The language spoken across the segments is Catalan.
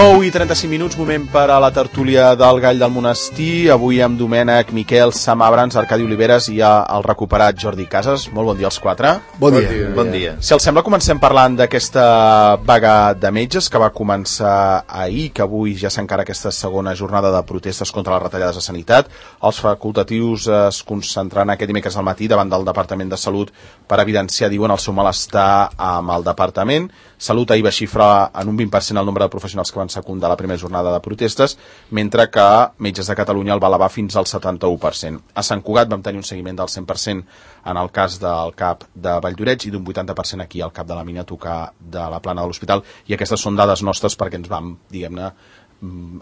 9:35, moment per a la tertúlia del Gall del Monestir. Avui amb Domènec, Miquel, Sam Abrams, Arcadi Oliveres i el recuperat Jordi Casas. Molt bon dia als quatre. Bon dia. Si els sembla, comencem parlant d'aquesta vaga de metges que va començar ahir, que avui ja s'encara aquesta segona jornada de protestes contra les retallades a sanitat. Els facultatius es concentraran aquest dimecres al matí davant del Departament de Salut per evidenciar, diuen, el seu malestar amb el Departament. Salut ahir va xifrar en un 20% el nombre de professionals que van secundar la primera jornada de protestes, mentre que Metges de Catalunya el va elevar fins al 71%. A Sant Cugat vam tenir un seguiment del 100% en el cas del CAP de Valldoreix i d'un 80% aquí al CAP de la Mina a tocar de la plana de l'hospital, i aquestes són dades nostres perquè ens vam, diguem-ne,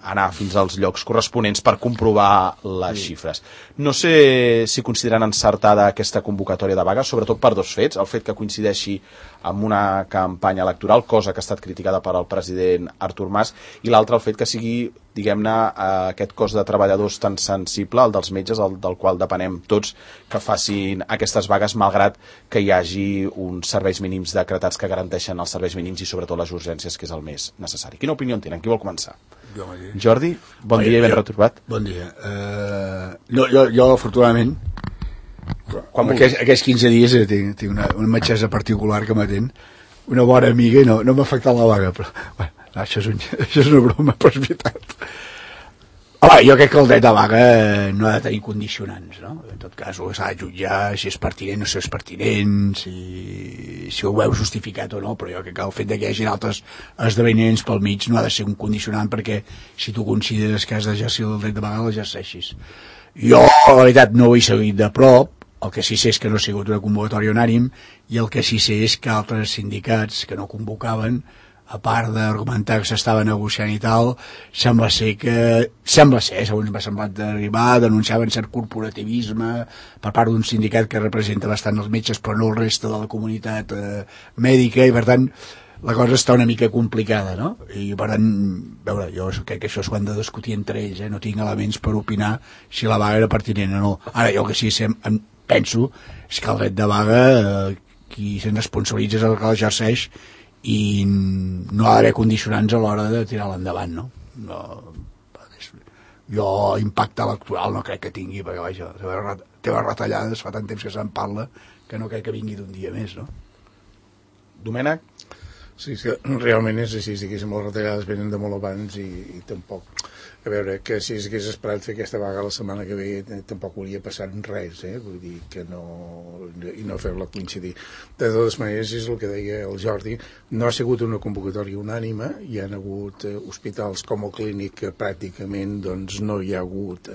anar fins als llocs corresponents per comprovar les xifres. No sé si consideren encertada aquesta convocatòria de vaga, sobretot per dos fets: el fet que coincideixi amb una campanya electoral, cosa que ha estat criticada per al president Artur Mas, i l'altre el fet que sigui, diguem-ne, aquest cos de treballadors tan sensible, el dels metges, el del qual depenem tots, que facin aquestes vagues malgrat que hi hagi uns serveis mínims decretats que garanteixen els serveis mínims i sobretot les urgències, que és el més necessari. Quina opinió en tenen? Qui vol començar? Jordi, bon dia i ben retrobat. Bon dia. Jo afortunadament, aquests 15 dies tinc una metgessa particular que m'atén, una bona amiga, i no m'ha afectat la vaga, però bueno, això és una broma, però és veritat. Jo crec que el dret de vaga no ha de tenir condicionants, no? En tot cas, s'ha de jutjar si és pertinent o si és pertinent, si ho veu justificat o no, però jo crec que el fet que hi hagi altres esdeveniments pel mig no ha de ser un condicionant perquè si tu consideres que has d'exercir el dret de vaga, l'exerceixis. Jo, la veritat, no ho he seguit de prop. El que sí sé és que no ha sigut una convocatòria unànime, i el que sí sé és que altres sindicats que no convocaven, a part d'argumentar que s'estava negociant i tal, sembla ser, segons m'ha semblat d'arribar, denunciaven cert corporativisme per part d'un sindicat que representa bastant els metges però no el reste de la comunitat mèdica, i per tant la cosa està una mica complicada, no? I per tant, veure, jo crec que això s'ho han de discutir entre ells, no tinc elements per opinar si la vaga era pertinent o no. Ara, jo que sí penso és que el dret de vaga qui se'n responsabilitza és el que l'exerceix, i no ha d'haver condicionants a l'hora de tirar-la endavant, no? Jo impacte electoral no crec que tingui, perquè vaja, teves retallades fa tant temps que se'n parla que no crec que vingui d'un dia més, no? Domènec? Sí, que realment és així, diguéssim, les retallades venen de molt abans i tampoc, a veure, que si s'hagués esperat fer aquesta vaga la setmana que ve tampoc hauria passat res, vull dir que no, i no fer-la coincidir. De totes maneres, és el que deia el Jordi, no ha sigut una convocatòria unànime, hi ha hagut hospitals com el Clínic que pràcticament doncs, no hi ha hagut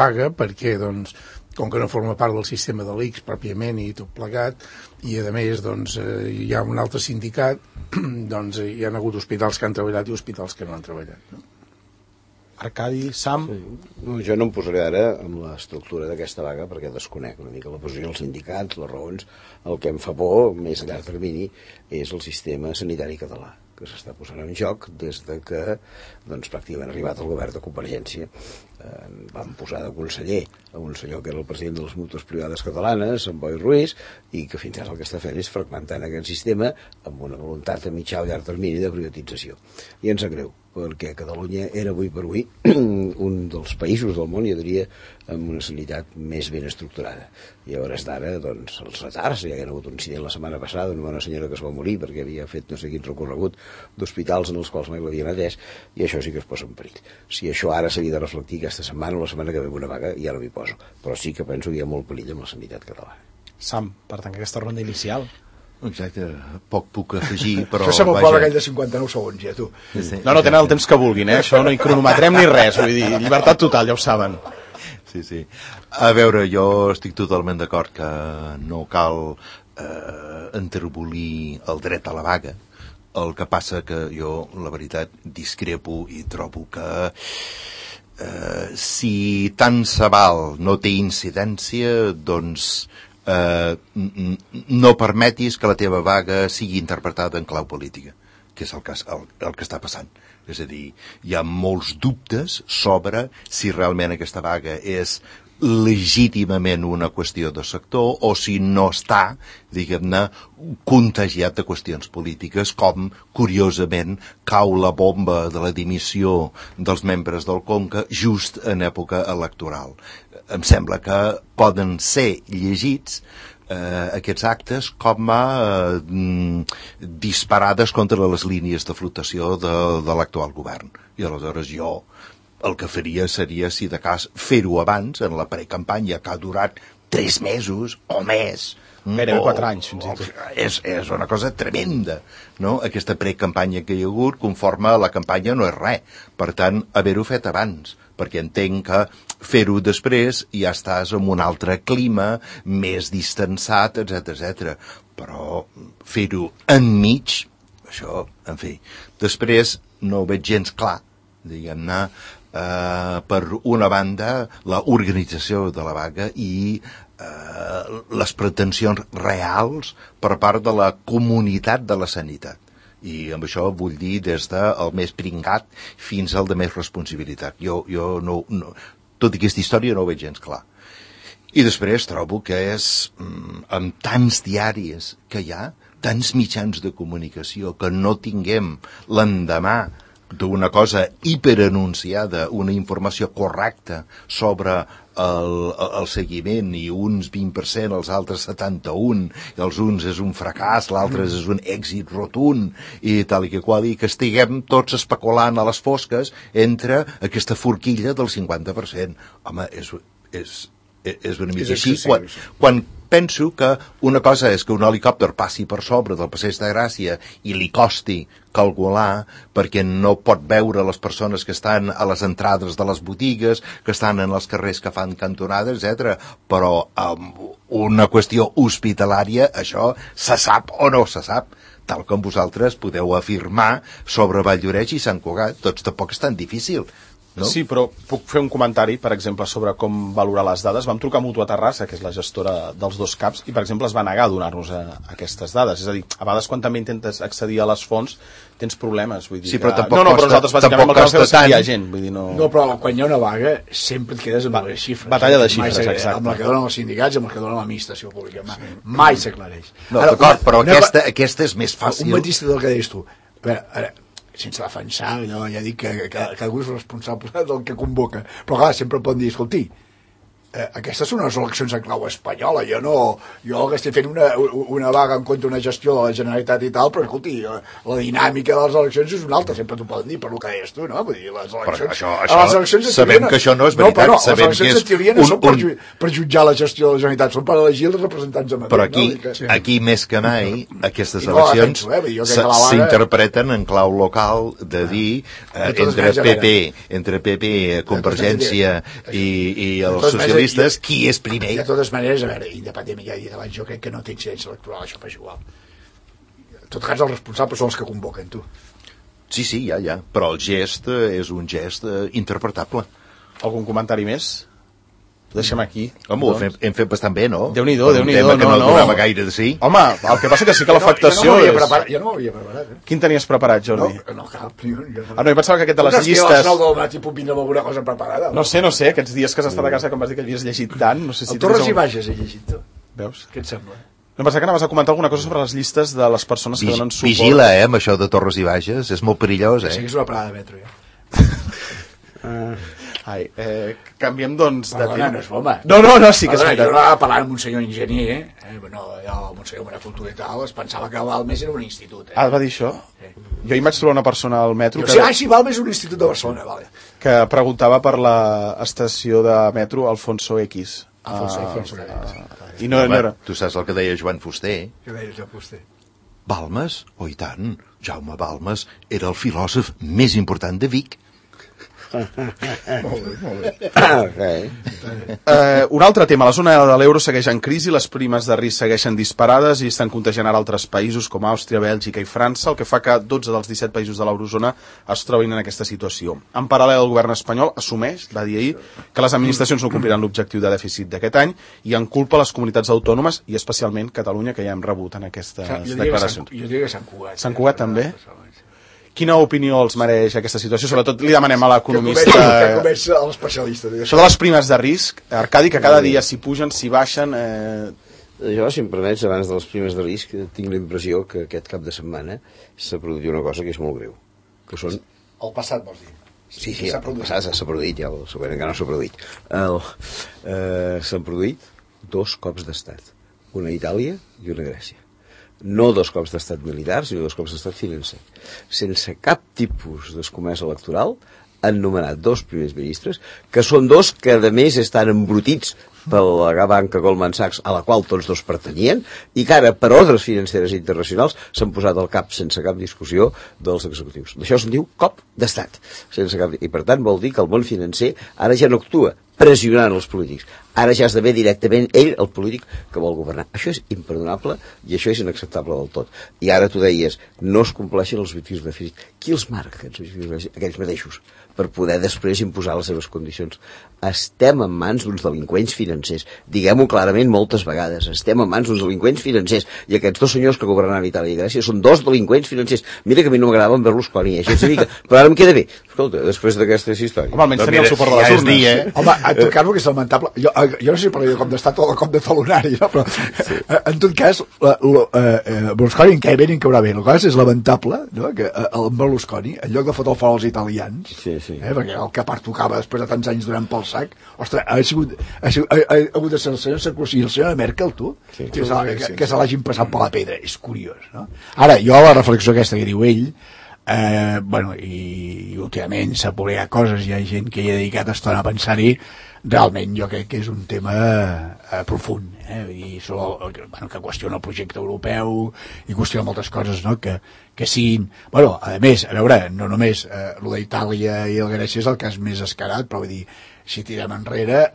vaga, perquè doncs com que no forma part del sistema de l'ICS pròpiament i tot plegat, i a més doncs, hi ha un altre sindicat, doncs hi ha hagut hospitals que han treballat i hospitals que no han treballat, no? Arcadi, Sam? Sí. No, jo no em posaré ara amb l'estructura d'aquesta vaga perquè desconec una mica la posició dels sindicats, les raons. El que em fa por, més a llarg termini, és el sistema sanitari català, que s'està posant en joc des de que doncs, pràcticament ha arribat el govern de Convergència. Van posar de conseller a un senyor que era el president de les mútues privades catalanes, en Boi Ruiz, i que fins ara el que està fent és fragmentant aquest sistema amb una voluntat a mitjà o llarg termini de privatització. I ens sap greu, perquè Catalunya era avui per avui un dels països del món, jo diria, amb una sanitat més ben estructurada. I a hores d'ara, doncs, els retards, hi ha hagut un incident la setmana passada, una senyora que es va morir perquè havia fet no sé quin recorregut d'hospitals en els quals mai l'havien atès, i això sí que es posa en perill. Si això ara s'havia de reflectir aquesta setmana o la setmana que ve una vaga, ja no m'hi poso, però sí que penso que hi ha molt perill amb la sanitat catalana. Sam, per tancar aquesta ronda inicial. Exacte, poc puc afegir, però... Això sembla pobre aquell de 59 segons, ja, tu. Sí. No, tenen el temps que vulguin, això no hi cronometrem ni res, vull dir, llibertat total, ja ho saben. Sí. A veure, jo estic totalment d'acord que no cal enterbolir el dret a la vaga. El que passa que jo, la veritat, discrepo i trobo que si tant se val no té incidència, doncs no permetis que la teva vaga sigui interpretada en clau política, que és el que està passant. És a dir, hi ha molts dubtes sobre si realment aquesta vaga és legítimament una qüestió de sector o si no està, diguem-ne, contagiat de qüestions polítiques, com, curiosament, cau la bomba de la dimissió dels membres del Conca just en època electoral. Em sembla que poden ser llegits aquests actes com a disparades contra les línies de flotació de l'actual govern. I aleshores jo el que faria seria, si de cas, fer-ho abans, en la precampanya, que ha durat 3 mesos o més. Gairebé 4 anys, fins i tot. És una cosa tremenda, no? Aquesta precampanya que hi ha hagut, conforme a la campanya, no és res. Per tant, haver-ho fet abans, perquè entenc que fer-ho després ja estàs en un altre clima, més distanciat, etc. Però fer-ho enmig, això, en fi. Després no ho veig gens clar, diguem-ne, per una banda, la organització de la vaga i les pretensions reals per part de la comunitat de la sanitat. I amb això vull dir des del més pringat fins al de més responsabilitat. Jo no, tota aquesta història no ho veig gens clar. I després trobo que és, amb tants diaris que hi ha, tants mitjans de comunicació, que no tinguem l'endemà d'una cosa hiperanunciada, una informació correcta sobre el seguiment, i uns 20%, els altres 71%, i els uns és un fracàs, l'altre és un èxit rotund, i tal i que qual, i que estiguem tots especulant a les fosques entre aquesta forquilla del 50%. Home, és una mica així. Quan penso que una cosa és que un helicòpter passi per sobre del Passeig de Gràcia i li costi calcular, perquè no pot veure les persones que estan a les entrades de les botigues, que estan en els carrers que fan cantonades, etc. Però amb una qüestió hospitalària això se sap o no se sap, tal com vosaltres podeu afirmar sobre Valldoreix i Sant Cugat. Tots tampoc és tan difícil. No? Sí, però puc fer un comentari, per exemple, sobre com valorar les dades. Vam trucar a Mutua Terrassa, que és la gestora dels dos CAPs, i, per exemple, es va negar a donar-nos aquestes dades. És a dir, a vegades, quan també intentes accedir a les fonts, tens problemes. Vull dir, sí, però tampoc però nosaltres, bàsicament, el que vam fer és que hi ha gent. Vull dir, no, però quan hi ha una vaga, sempre et quedes amb les xifres. Batalla de xifres, exacte. Amb la que donen els sindicats, amb la que donen l'administració pública. Mai s'aclareix. No, d'acord, però aquesta és més fàcil. Un matís del que deies tu. Ara, sense defensar, jo ja dic que cadascú és responsable del que convoca, però clar, sempre poden dir, escolti, aquestes són unes eleccions en clau espanyola, jo que estic fent una vaga en contra d'una gestió de la Generalitat i tal, però escolti, la dinàmica de les eleccions és una altra, sempre t'ho poden dir per el que deies tu, no? Vull dir, les eleccions, les eleccions sabem que això no és veritat, les eleccions en teoria no són per jutjar la gestió de la Generalitat, són per elegir els representants de Madrid. Però aquí més que mai, aquestes eleccions s'interpreten en clau local de dir entre PP, Convergència i els socialistes, qui és primer? De totes maneres, a veure, independentment, ja he dit abans, jo crec que no té incidència electoral, això fa igual. En tot cas, els responsables són els que convoquen, tu. Sí, ja, però el gest és un gest interpretable. Algun comentari més? Ho deixem aquí. Home, ho hem fet bastant bé, no? Déu-n'hi-do, un tema que no donava gaire de sí. Home, el que passa que sí que l'afectació és... Jo no m'havia preparat, Quin tenies preparat, Jordi? No, cap. No, jo pensava que aquest de les llistes... No, és que a les 9 del matí puc vindre amb alguna cosa preparada. No sé, aquests dies que has estat a casa, com vas dir que havies llegit tant, no sé si... El Torres i Bages he llegit, tu. Veus? Què et sembla? No, pensava que anaves a comentar alguna cosa sobre les llistes de les persones que donen suport. Vigila, amb això de Torres i Bages, és molt perillós, Sí que és una parada de metro, ja. Canviem, doncs, de tema. No és broma. No, sí que és veritat. Jo anava parlant amb un senyor enginyer, amb un senyor amb una cultura i tal, es pensava que Balmes era un institut. Ah, va dir això? Sí. Jo hi vaig trobar una persona al metro... Sí, Balmes és un institut de Barcelona, vale. Que preguntava per l'estació de metro Alfonso X. Alfonso X. I no era... Tu saps el que deia Joan Fuster? Què deia Joan Fuster? Balmes? Oh, i tant. Jaume Balmes era el filòsof més important de Vic. Molt bé. Un altre tema, la zona de l'euro segueix en crisi, les primes de risc segueixen disparades i estan contagiant ara altres països com Àustria, Bèlgica i França, el que fa que 12 dels 17 països de l'eurozona es trobin en aquesta situació. En paral·lel, el govern espanyol assumeix, va dir ahir, que les administracions no compliran l'objectiu de dèficit d'aquest any i en culpa les comunitats autònomes i especialment Catalunya, que ja hem rebut en aquestes declaracions. Jo diria que Sant Cugat. Sant Cugat també? Quina opinió els mereix aquesta situació? Sobretot li demanem a l'economista... Que comença l'especialista. Això de les primes de risc, Arcadi, que cada dia s'hi pugen, s'hi baixen... Jo, si em permets, abans de les primes de risc, tinc la impressió que aquest cap de setmana s'ha produït una cosa que és molt greu, que són... El passat, vols dir? Sí, el passat s'ha produït, ja el següent encara no s'ha produït. S'han produït 2 cops d'estat, una a Itàlia i una a Grècia. No 2 cops d'estat militar, sinó 2 cops d'estat financer. Sense cap tipus d'escomesa electoral, han nomenat 2 primers ministres, que són 2 que a més estan embrutits per la banca Goldman Sachs, a la qual tots 2 pertanyien, i que ara, per ordres financeres internacionals, s'han posat al cap, sense cap discussió, dels executius. D'això se'n diu cop d'estat. I per tant vol dir que el món financer ara ja no actua pressionant els polítics. Ara ja esdevé directament ell el polític que vol governar. Això és imperdonable i això és inacceptable del tot. I ara tu deies, no es compleixen els objectius de dèficit. Qui els marca, aquests objectius de dèficit? Aquells mateixos, per poder després imposar les seves condicions. Estem en mans d'uns delinqüents financers. Diguem-ho clarament moltes vegades. Estem en mans d'uns delinqüents financers. I aquests 2 senyors que governaran Itàlia i Grècia són 2 delinqüents financers. Mira que a mi no m'agradava en Berlusconi, però ara em queda bé. Escolta, després d'aquestes històries... Home, almenys tenia el suport de les urnes. Home, en tot cas, el que és lamentable... Jo no sé si parlaré de cop d'estat o de cop de talonari, no? Però en tot cas, Berlusconi en què ben en caurà bé. El cas és lamentable, no? Que el Berlusconi, en lloc de fotre el fora als italians, perquè el que pertocava després de tants anys donant pel sac, ostres, ha hagut de ser el senyor Sarkozy i el senyor Merkel, tu, que se l'hagin passat per la pedra. És curiós, no? Ara, jo la reflexió aquesta que diu ell, i últimament s'ha publicat coses, hi ha gent que hi ha dedicat estona a pensar-hi, realment jo crec que és un tema profund, i que qüestiona el projecte europeu i qüestiona moltes coses, no? Que siguin... a més, a veure, no només el d'Itàlia i el Grècia és el cas més escarat, però vull dir, si tirem enrere,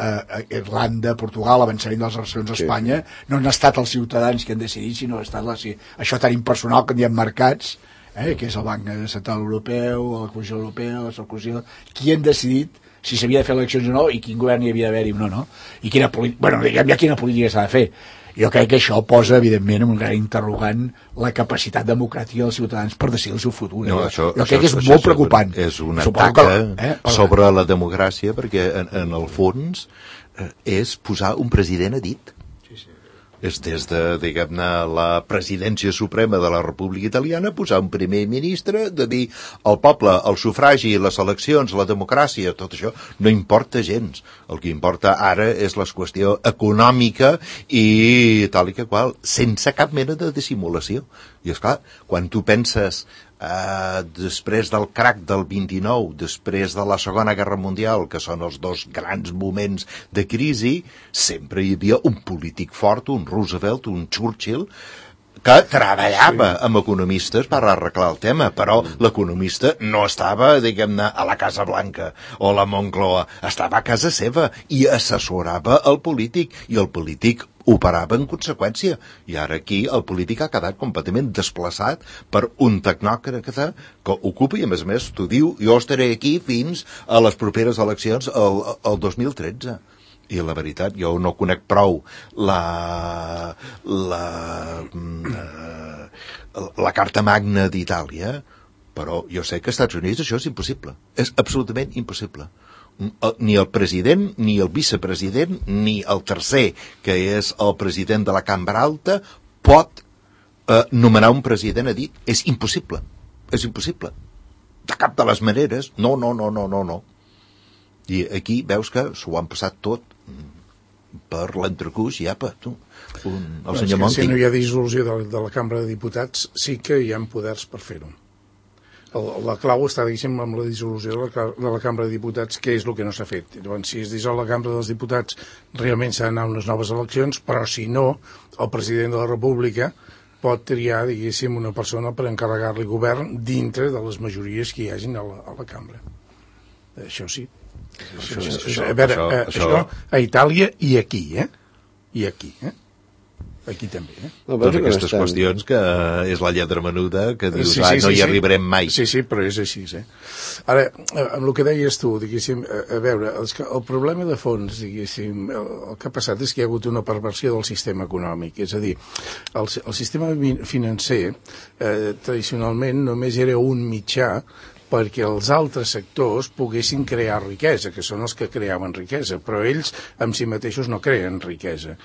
Irlanda, Portugal, avançament de les relacions a Espanya, no han estat els ciutadans que han decidit, sinó ha estat això tan impersonal que n'hi ha marcats, que és el Banc Central Europeu, la Comissió Europea, la Sarkozy, qui han decidit si s'havia de fer eleccions o no i quin govern hi havia d'haver-hi o no, i quina política s'ha de fer. Jo crec que això posa, evidentment, en un gran interrogant la capacitat democràtica dels ciutadans per decidir el seu futur. No, jo crec que és molt preocupant. És un atac sobre la democràcia, perquè en el fons és posar un president a dit. És des de, diguem-ne, la presidència suprema de la República Italiana posar un primer ministre, de dir al poble, el sufragi, les eleccions, la democràcia, tot això no importa gens. El que importa ara és la qüestió econòmica i tal i que qual, sense cap mena de dissimulació. I esclar, quan tu penses després del crac del 29, després de la Segona Guerra Mundial, que són els 2 grans moments de crisi, sempre hi havia un polític fort, un Roosevelt, un Churchill, que treballava amb economistes per arreglar el tema, però l'economista no estava, diguem-ne, a la Casa Blanca o a la Moncloa, estava a casa seva i assessorava el polític, i el polític operava en conseqüència. I ara aquí el polític ha quedat completament desplaçat per un tecnòcrata que ocupa, i a més t'ho diu, jo estaré aquí fins a les properes eleccions el 2013. I la veritat, jo no conec prou la Carta Magna d'Itàlia, però jo sé que als Estats Units això és impossible. És absolutament impossible. Ni el president, ni el vicepresident, ni el tercer, que és el president de la Cambra Alta, pot nomenar un president a dit. És impossible. És impossible. De cap de les maneres. No. I aquí veus que s'ho han passat tot per l'entrecuix i apa, tu, el senyor Monti. Si no hi ha dissolució de la Cambra de Diputats, sí que hi ha poders per fer-ho. La clau està, diguéssim, amb la dissolució de la Cambra de Diputats, que és el que no s'ha fet. Llavors, si es dissol la Cambra dels Diputats, realment s'ha d'anar a unes noves eleccions, però si no, el president de la República pot triar, diguéssim, una persona per encarregar-li govern dintre de les majories que hi hagin a la Cambra. Això sí. Això a Itàlia i aquí, I aquí, Aquí també, No, totes aquestes qüestions que és la lletra menuda que dius, no hi arribarem mai. Sí, però és així, Ara, amb el que deies tu, diguéssim, a veure, el problema de fons, diguéssim, el que ha passat és que hi ha hagut una perversió del sistema econòmic, és a dir, el sistema financer tradicionalment només era un mitjà perquè els altres sectors poguessin crear riquesa, que són els que creaven riquesa, però ells en si mateixos no creen riquesa.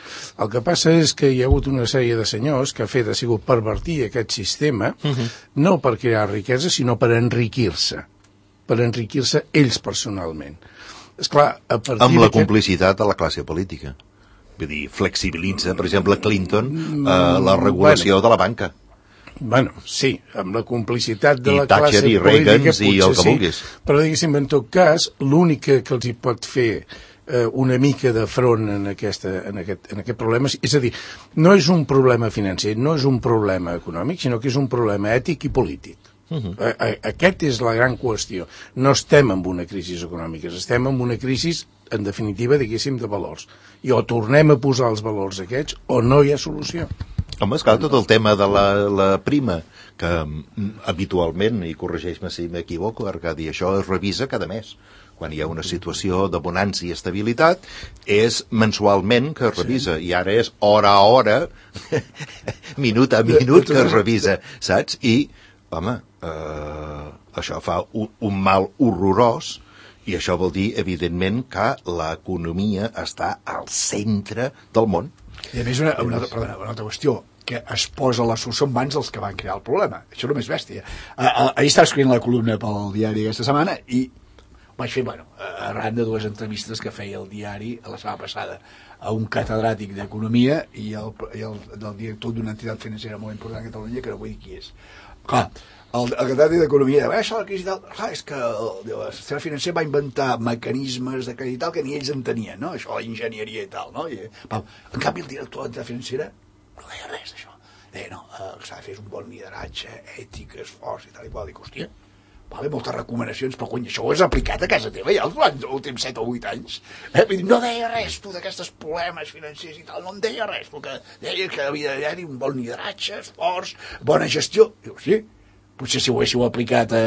El que passa és que hi ha hagut una sèrie de senyors que ha sigut pervertir aquest sistema, no per crear riquesa, sinó per enriquir-se ells personalment. Esclar, amb la complicitat de la classe política. Vull dir, flexibilitza, per exemple, Clinton, la regulació de la banca. Bueno, sí, amb la complicitat de la classe política, Reagan, i el que vulguis. Però, diguéssim, en tot cas, l'únic que els hi pot fer una mica de front en aquest problema, és a dir, no és un problema financer, no és un problema econòmic, sinó que és un problema ètic i polític. Aquest és la gran qüestió. No estem en una crisi econòmica, estem en una crisi, en definitiva, diguéssim, de valors. I o tornem a posar els valors aquests o no hi ha solució. Home, esclar, tot el tema de la prima, que habitualment, i corregeix-me si m'equivoco, Arcadi, això es revisa cada mes. Quan hi ha una situació de bonança i estabilitat, és mensualment que es revisa, i ara és hora a hora, minut a minut que es revisa, saps? I, home, això fa un mal horrorós, i això vol dir, evidentment, que l'economia està al centre del món. I a més, una altra qüestió, que es posa la solució en mans dels que van crear el problema. Això és el més bèstia. Ahir estava escrivint la columna pel diari aquesta setmana i vaig fer, arran de 2 entrevistes que feia el diari la setmana passada a un catedràtic d'economia i el director d'una entitat financera molt important a Catalunya, que no vull dir qui és. Clar, el catedràtic d'economia deia, això de la crisi tal, clar, és que el sistema financer va inventar mecanismes de crèdit tal que ni ells entenien, no? Això, la enginyeria i tal, no? En canvi, el director de l'entitat financera no deia res d'això. Deia, no, s'ha de fer un bon lideratge, ètic, esforç i tal i qual. Dic, hòstia, moltes recomanacions, però cony, això ho has aplicat a casa teva ja els últims 7 o 8 anys. No deia res, tu, d'aquestes problemes financers i tal, no en deia res, perquè deia que havia d'haver-hi un bon lideratge, esforç, bona gestió. Diu, sí, potser si ho haguéssiu aplicat a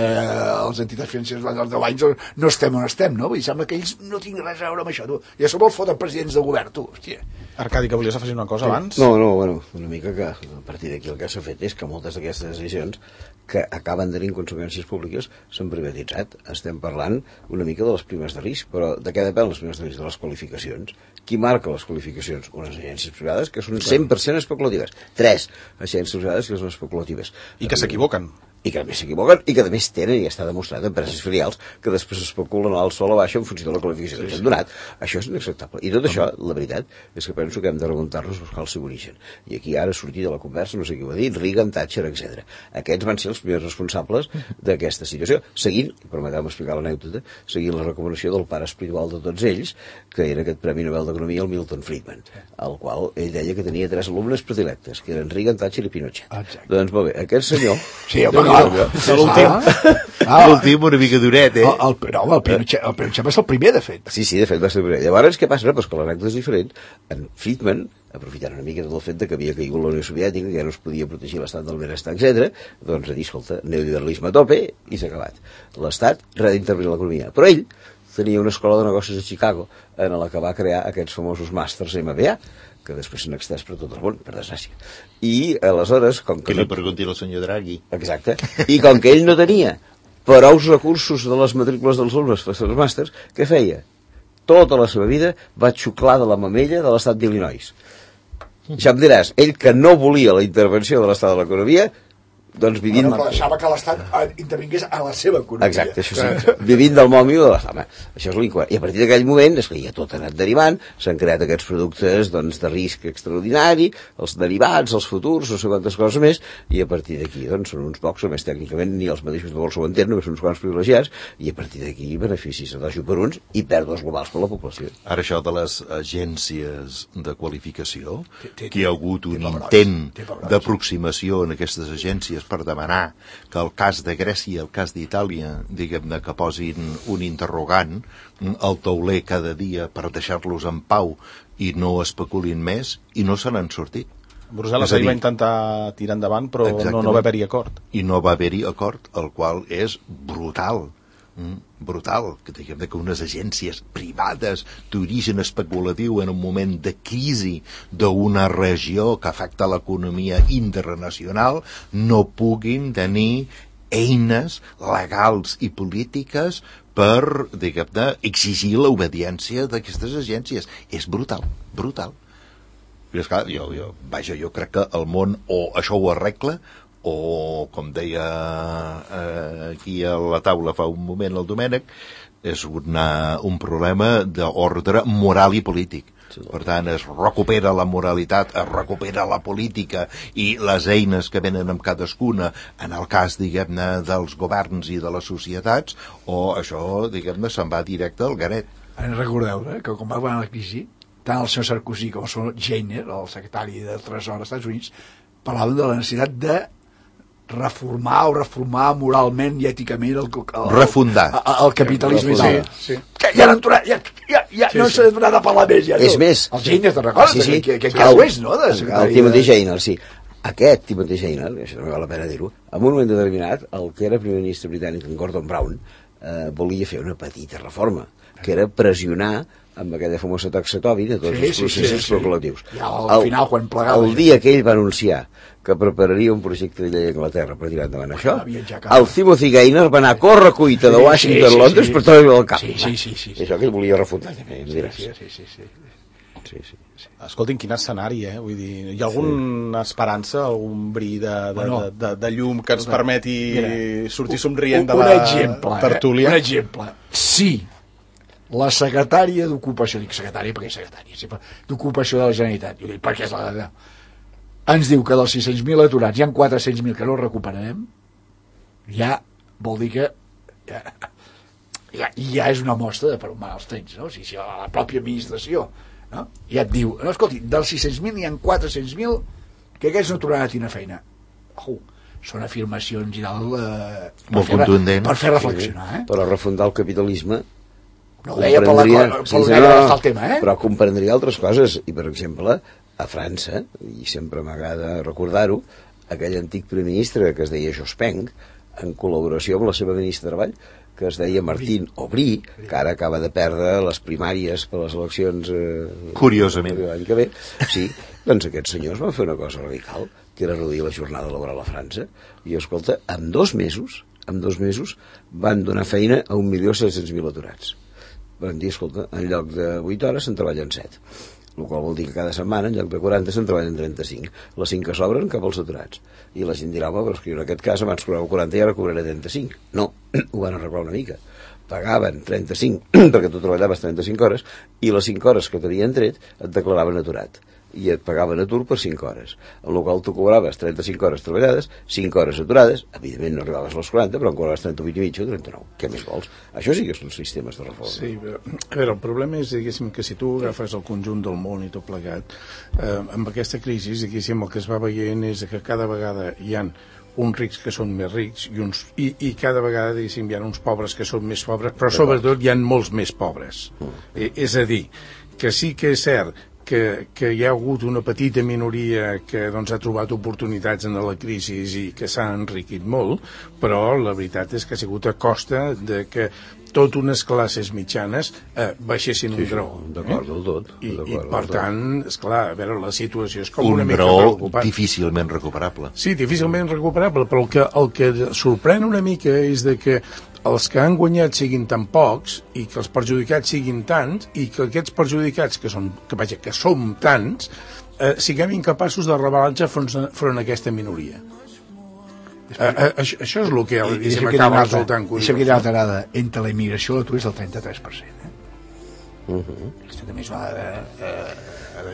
les entitats financeres durant els 10 anys no estem on estem, no? Vull dir, sembla que ells no tinguin res a veure amb això, tu. Ja som els foten presidents del govern, tu, hòstia. Arcadi, que volies afegir una cosa abans? No, bueno, una mica que a partir d'aquí el que s'ha fet és que moltes d'aquestes decisions que acaben tenint conseqüències públiques s'han privatitzat. Estem parlant una mica de les primes de risc, però de què depèn les primes de risc? De les qualificacions. Qui marca les qualificacions? Unes agències privades que són 100% especulatives. 3 agències privades que són especulatives. I que s'equivoquen. I que a més s'equivoquen, i que a més tenen, i està demostrat, empreses filials que després especulen al sol o a baixa en funció de la qualificació que s'han donat. Això és inacceptable. I tot això, la veritat, és que penso que hem de remuntar-nos a buscar el seu origen. I aquí ara sortir de la conversa, no sé qui ho ha dit, Reagan, Thatcher, etc. Aquests van ser els primers responsables d'aquesta situació, seguint, permeteu-me explicar l'anècdota, seguint la recomanació del pare espiritual de tots ells, que era aquest Premi Nobel d'Economia, el Milton Friedman, al qual ell deia que tenia 3 alumnes predilectes, que eren Reagan, Thatcher i Pinochet. Exacte. Doncs molt bé, aquest senyor... Sí, home, l'últim una mica duret, el Pinochet va ser el primer, de fet. Sí, de fet va ser el primer. Llavors, què passa? Pues que l'anècdota és diferent. En Friedman, aprofitant una mica del fet que havia caigut la Unió Soviètica, que ja no es podia protegir l'estat del benestar, etc., doncs a dir, escolta, neoliberalisme a tope, i s'ha acabat. L'estat res d'intervenir l'economia. Però ell tenia una escola de negocis a Chicago en la que va crear aquests famosos màsters MBA, que després s'han extès per tot el món, per desgràcia. I aleshores, com que... Que li pregunti al senyor Draghi. Exacte. I com que ell no tenia prous recursos de les matrícules dels alumnes per fer els màsters, què feia? Tota la seva vida va xuclar de la mamella de l'estat d'Illinois. Ja em diràs, ell que no volia la intervenció de l'estat de l'economia, doncs vivint... Però deixava que l'Estat intervingués a la seva economia. Exacte, això sí. Vivint del mòmio de l'Estat. Això és l'incoherent. I a partir d'aquell moment, és que ja tot ha anat derivant, s'han creat aquests productes doncs, de risc extraordinari, els derivats, els futurs, no sé quantes coses més, i a partir d'aquí doncs, són uns pocs, a més tècnicament ni els mateixos de bolsa ho entenen, només són uns quants privilegiats, i a partir d'aquí beneficis a dojo per uns i pèrdues globals per la població. Ara això de les agències de qualificació, que hi ha hagut un intent d'aproximació en aquestes agències per demanar que el cas de Grècia i el cas d'Itàlia, diguem-ne, que posin un interrogant al tauler cada dia per deixar-los en pau i no especulin més, i no se n'han sortit. Brussel·les ahir va intentar tirar endavant, però no va haver-hi acord. I no va haver-hi acord, el qual és brutal. Brutal, que diguem que unes agències privades d'origen especulatiu en un moment de crisi d'una regió que afecta l'economia internacional no puguin tenir eines legals i polítiques per, diguem-ne, exigir l'obediència d'aquestes agències. És brutal, brutal. I esclar, jo crec que el món o això ho arregla o, com deia aquí a la taula fa un moment el Domènec, és un problema d'ordre moral i polític. Per tant, es recupera la moralitat, es recupera la política i les eines que venen amb cadascuna en el cas, diguem-ne, dels governs i de les societats, o això, diguem-ne, se'n va directe al garet. Recordeu que quan va anar la crisi, tant el senyor Sarkozy com el senyor Geithner, el secretari de Tresor dels Estats Units, parlaven de la necessitat de reformar moralment i èticament el capitalisme. Sí. Que ja no s'ha donat a parlar més. És més. El Geithner, te'n recordes? Que ho és, no? El Timothy Geithner, sí. Aquest Timothy Geithner, això també val la pena dir-ho, en un moment determinat, el que era primer ministre britànic, en Gordon Brown, volia fer una petita reforma, que era pressionar amb aquella famosa taxa Tobin a tots els processos especulatius. I al final, quan plegava... El dia que ell va anunciar que prepararia un projecte de llei a Anglaterra per tirar endavant això, el Timothy Geithner va anar a córrer cuita de Washington a Londres per treure el cap. Sí. Això que ell volia refundar també, em diràs. Sí. Escoltin, quin escenari, Vull dir, hi ha alguna esperança, algun bri de llum que ens permeti sortir somrient de la tertúlia? Un exemple. Sí, la secretària d'Ocupació, dic secretària perquè és secretària, d'Ocupació de la Generalitat, perquè és la ens diu que dels 600.000 aturats hi ha 400.000 que no recuperarem, ja vol dir que ja és una mostra de per on van els trens, no? O sigui, la pròpia administració, no? Ja et diu, no, escolti, dels 600.000 n'hi ha 400.000 que aquests no tornaran a tenir feina. Són afirmacions i molt contundents per fer reflexionar, però refundar el capitalisme no ho deia per el tema, però comprendria altres coses, i per exemple a França, i sempre m'agrada recordar-ho, aquell antic primer ministre que es deia Jospin, en col·laboració amb la seva ministra de Treball, que es deia Martín Aubry, que ara acaba de perdre les primàries per les eleccions curiosament l'any que ve, sí, doncs aquests senyors van fer una cosa radical, que era reduir la jornada laboral a França, i escolta, en dos mesos van donar feina a 1.700.000 aturats. Van dir, escolta, en lloc de 8 hores se'n treballen 7, el qual vol dir que cada setmana en lloc de 40 se'n treballen 35, les 5 que sobren cap als aturats, i la gent dirà, però és que jo en aquest cas abans cobrava 40 i ara cobraré 35. No, ho van arreglar una mica, pagaven 35 perquè tu treballaves 35 hores i les 5 hores que t'havien tret et declaraven aturat i et pagaven atur per 5 hores, en el qual tu cobraves 35 hores treballades, 5 hores aturades, evidentment no arribaves als 40, però en cobraves 38 i mig o 39. Què més vols? Això sí que són sistemes de reforma. Sí, però, a veure, el problema és, diguéssim, que si tu agafes el conjunt del món i tot plegat, amb aquesta crisi, diguéssim, el que es va veient és que cada vegada hi ha uns rics que són més rics i cada vegada, diguéssim, hi ha uns pobres que són més pobres, però sobretot hi ha molts més pobres. És a dir, que sí que és cert que hi ha hagut una petita minoria que doncs, ha trobat oportunitats en la crisi i que s'ha enriquit molt, però la veritat és que ha sigut a costa de que tot unes classes mitjanes baixessin un graó. D'acord, del tot. I per tant, esclar, a veure, la situació és com una mica preocupant. Un graó difícilment recuperable. Sí, difícilment recuperable, però el que sorprèn una mica és de que els que han guanyat siguin tan pocs i que els perjudicats siguin tants i que aquests perjudicats que som tants siguem incapaços de rebel·lar-nos front a aquesta minoria. Això és el que acaba resultant curiós. Deixa'm que hi ha una altra dada. Entre la immigració i l'atur és el 33%. Aquesta també és una dada...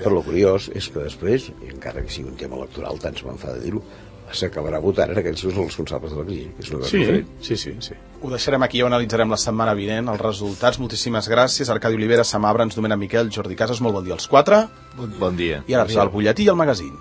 Però el curiós és que després, encara que sigui un tema electoral, tant se me'n fa de dir-ho, s'acabarà votant en aquells que són els responsables de la crisi. És una cosa diferent. Sí. Ho deixarem aquí i ho analitzarem la setmana vinent, els resultats. Moltíssimes gràcies. Arcadi Olivera, Sam Abrams, Domènec Miquel, Jordi Casas, molt bon dia als 4. Bon dia. I ara arriba el butlletí i el magazín.